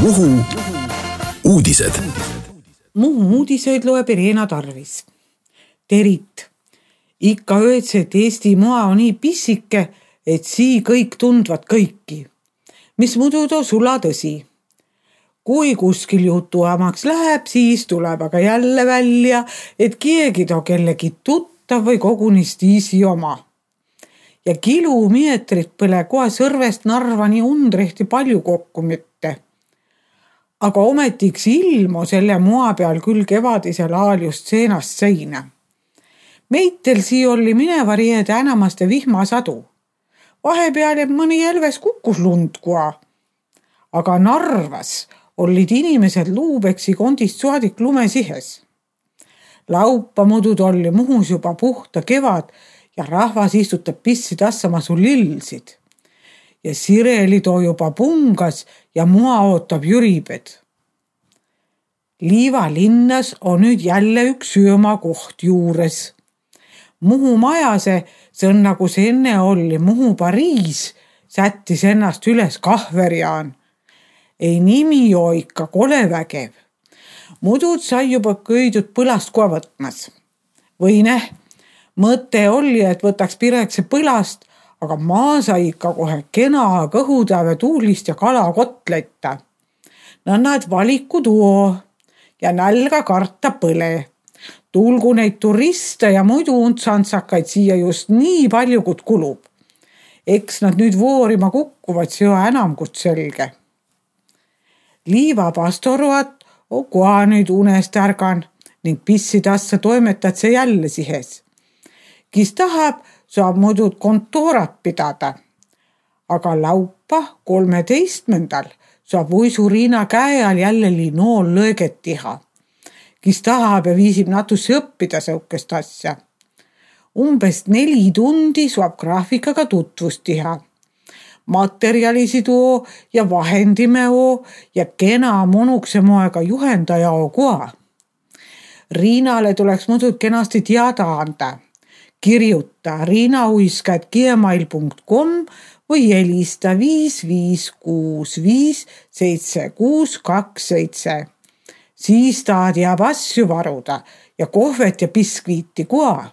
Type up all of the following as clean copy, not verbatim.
Muhu uudised. Muhu uudiseid loeb Irena Tarvis. Terit. Ikka öeldse, et Eesti maa on nii pissike, et sii kõik tundvad kõiki. Mis muidu too sula tõsi. Kui kuskil jutuamaks läheb, siis tuleb aga jälle välja, et keegi too kellegi tuttav või kogunistiisi oma. Ja kilomeetrit põle kohe Sõrvest Narvani Undrehti palju kokku mitte. Aga ometiks ilmu selle maa peal küll kevadisel ajal just seenast seina. Meitel sii oli mineva riede enamaste vihmasadu. Vahepeal jääb mõni jälves kukkus lund kua. Aga Narvas olid inimesed luubeksi kondist suadik lumesihes. Laupa mudud oli Muhus juba puhta kevad ja rahvas istutab pissi tassama su lillsid. Ja Sireli too juba pungas ja mua ootab jüribed. Liiva linnas on nüüd jälle üks söömakoht juures. Muhu majase, see on nagu see enne oli Muhu Pariis, sättis ennast üles kahverjaan. Ei nimi joo ikka kole vägev. Mudud sai juba köidud põlast koha võtmas. Või mõte oli, et võtaks pirekse põlast, aga maa sai ikka kohe kena kõhutäve tuulist ja kalakotletta. Nad valiku tuo ja nälga karta põle. Tulgu neid turiste ja muidu untsantsakaid siia just nii palju, kui kulub. Eks nad nüüd voorima kukkuvad, see on enam kui selge. Liiva pastoruat on koha nüüd unest ärgan ning pissidassa toimetad see jälle sihes. Kes tahab, saab muidu kontoorat pidada. Aga laupa 13. saab uisu Riina käe all jälle linool lõõget teha. Kes tahab ja viisib natusse õppida säukest asja. Umbes 4 tundi saab graafikaga tutvust teha. Materjalisi tuo ja vahendimeo ja kena monukse moega juhendaja koha. Riinale tuleks muidu kenasti teada anda. Kirjuta riinauisk@gmail.com või helista 5565 7627. Siis ta teab asju varuda ja kohvet ja biskviiti koha.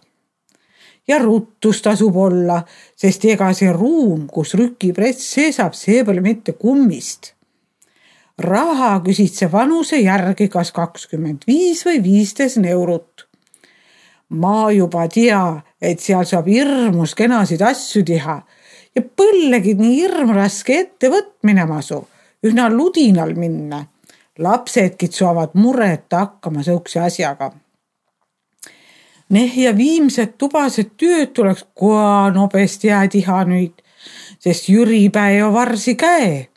Ja ruttus tasub olla, sest ega see ruum, kus rükipress seesab, see pole mitte kummist. Raha küsid see vanuse järgi kas 25 või 15 eurot. Ma juba tea, et seal saab hirmus kenasid asju teha ja põllegid nii hirm raske ettevõtmine masu, ühna ludinal minna. Lapsedkid saavad mureta hakkama säukse asjaga. Ja viimsed tubased tööd tuleks koha nobest jäätiha nüüd, sest jüripäev varsi käe.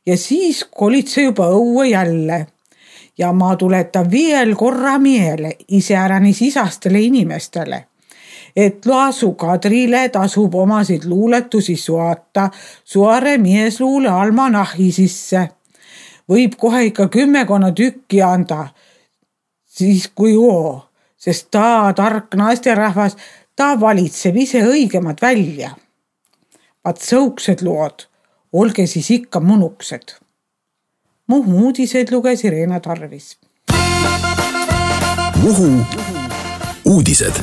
Ja siis kolid see juba õue jälle. Ja ma tuletan veel korra meele iseäranis isastele inimestele, et Laasu Kadrile tasub omasid luuletusi suata Suare miesluule almanahi sisse. Võib kohe ikka 10 tükki anda, siis kui joo, sest ta tark naisterahvas, ta valitseb ise õigemad välja. Vaat sõuksed lood, olge siis ikka munuksed. Muhu uudiseid luges Irena Tarvis. Muhu uudised.